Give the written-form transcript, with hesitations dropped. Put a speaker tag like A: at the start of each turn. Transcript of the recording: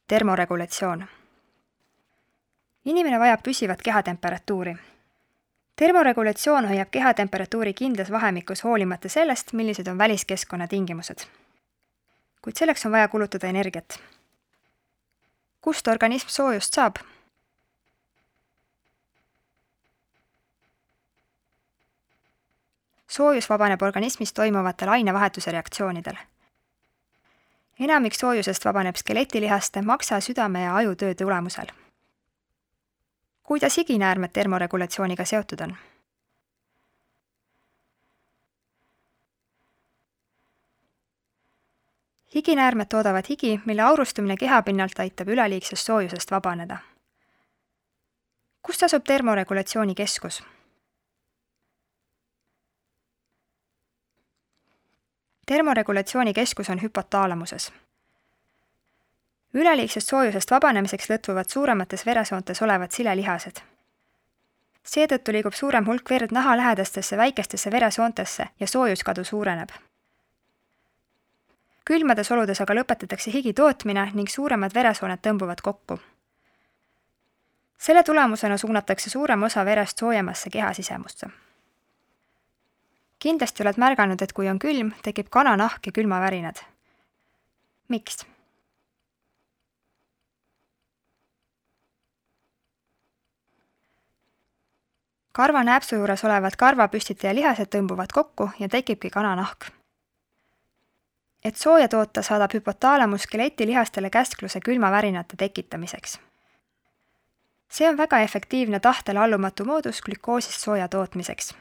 A: Termoregulatsioon. Inimene vajab püsivat kehatemperatuuri. Termoregulatsioon hoiab kehatemperatuuri kindlas vahemikus hoolimata sellest, millised on väliskeskkonna tingimused. Kuid selleks on vaja kulutada energiat. Kust organism soojust saab? Soojus vabaneb organismis toimuvatel ainevahetuse reaktsioonidel. Enamik soojusest vabaneb skeletilihaste, maksa, südame ja aju töö tulemusel. Kuidas higinäärmed termoregulatsiooniga seotud on? Higinäärmed toodavad higi, mille aurustumine kehapinnalt aitab üleliigsest soojusest vabaneda. Kus asub termoregulatsiooni keskus? Termoregulatsiooni keskus on hüpotaalamuses. Üleliigsest soojusest vabanemiseks lõtvuvad suuremates veresoontes olevad silelihased. Seetõttu liigub suurem hulk verd naha lähedastesse väikestesse veresoontesse ja soojuskadu suureneb. Külmades oludes aga lõpetatakse higi tootmine ning suuremad veresooned tõmbuvad kokku. Selle tulemusena suunatakse suurem osa verest soojemasse kehasisemusse. Kindlasti oled märganud, et kui on külm, tekib kananahk ja külmavärinad. Miks? Karvanääpsu juures olevad karvapüstitaja lihased tõmbuvad kokku ja tekibki kananahk. Et sooja toota, saadab hüpotaalamus skeletilihastele käskluse külmavärinate tekitamiseks. See on väga efektiivne tahtele allumatu moodus glükoosist sooja tootmiseks.